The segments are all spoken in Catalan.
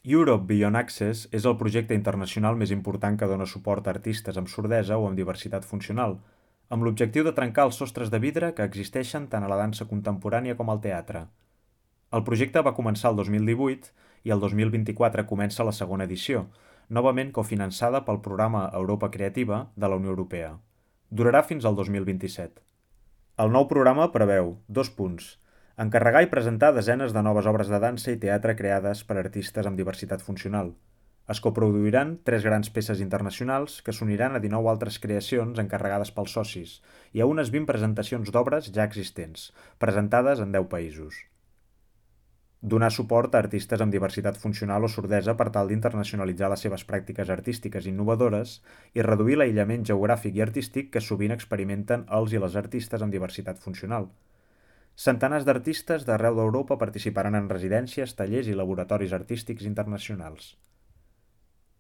Europe Beyond Access és el projecte internacional més important que dona suport a artistes amb sordesa o amb diversitat funcional, amb l'objectiu de trencar els sostres de vidre que existeixen tant a la dansa contemporània com al teatre. El projecte va començar el 2018 i el 2024 comença la segona edició, novament cofinançada pel programa Europa Creativa de la Unió Europea. Durarà fins al 2027. El nou programa preveu 2 punts. Encarregar i presentar desenes de noves obres de dansa i teatre creades per artistes amb diversitat funcional. Es coproduiran 3 grans peces internacionals que s'uniran a 19 altres creacions encarregades pels socis i a unes 20 presentacions d'obres ja existents, presentades en 10 països. Donar suport a artistes amb diversitat funcional o sordesa per tal d'internacionalitzar les seves pràctiques artístiques innovadores i reduir l'aïllament geogràfic i artístic que sovint experimenten els i les artistes amb diversitat funcional. Centenars d'artistes d'arreu d'Europa participaran en residències, tallers i laboratoris artístics internacionals.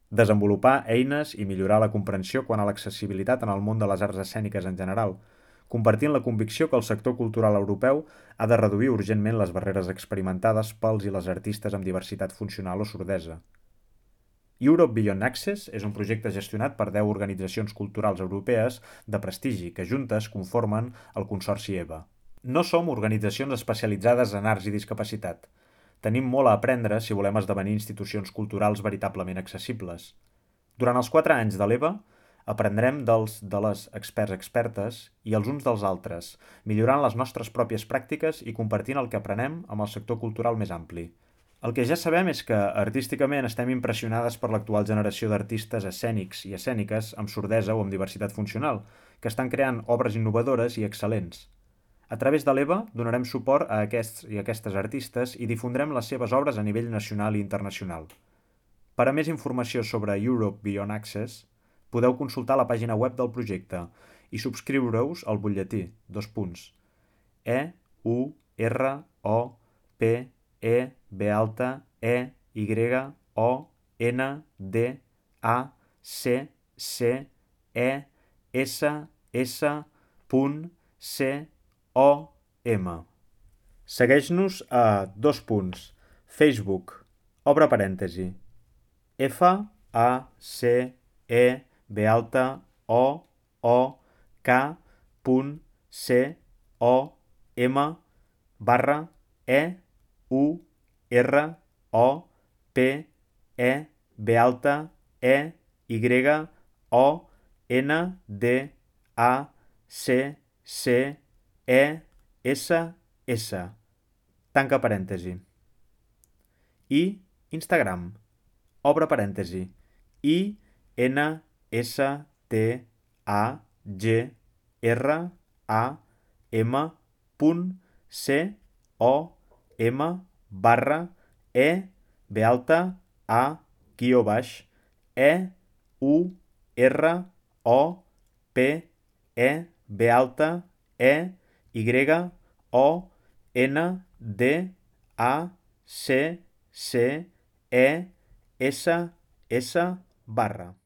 Desenvolupar eines i millorar la comprensió quant a l'accessibilitat en el món de les arts escèniques en general, compartint la convicció que el sector cultural europeu ha de reduir urgentment les barreres experimentades pels i les artistes amb diversitat funcional o sordesa. Europe Beyond Access és un projecte gestionat per 10 organitzacions culturals europees de prestigi que juntes conformen el Consorci EVA. No som organitzacions especialitzades en arts i discapacitat. Tenim molt a aprendre si volem esdevenir institucions culturals veritablement accessibles. Durant els 4 anys de l'EVA, aprendrem de les experts-expertes i els uns dels altres, millorant les nostres pròpies pràctiques i compartint el que aprenem amb el sector cultural més ampli. El que ja sabem és que, artísticament, estem impressionades per l'actual generació d'artistes escènics i escèniques amb sordesa o amb diversitat funcional, que estan creant obres innovadores i excel·lents. A través de l'EVA donarem suport a aquests i aquestes artistes i difondrem les seves obres a nivell nacional i internacional. Per a més informació sobre Europe Beyond Access, podeu consultar la pàgina web del projecte i subscriure-us al butlletí, 2 punts. EUROPEBALTAEBACCSSCOM. Segueix-nos a 2 punts. Facebook, obre parèntesi, FACEBYONDACCESS. Tanca parèntesi. I Instagram, obre parèntesi, Instagram, /EUROPEBYONDACCESS.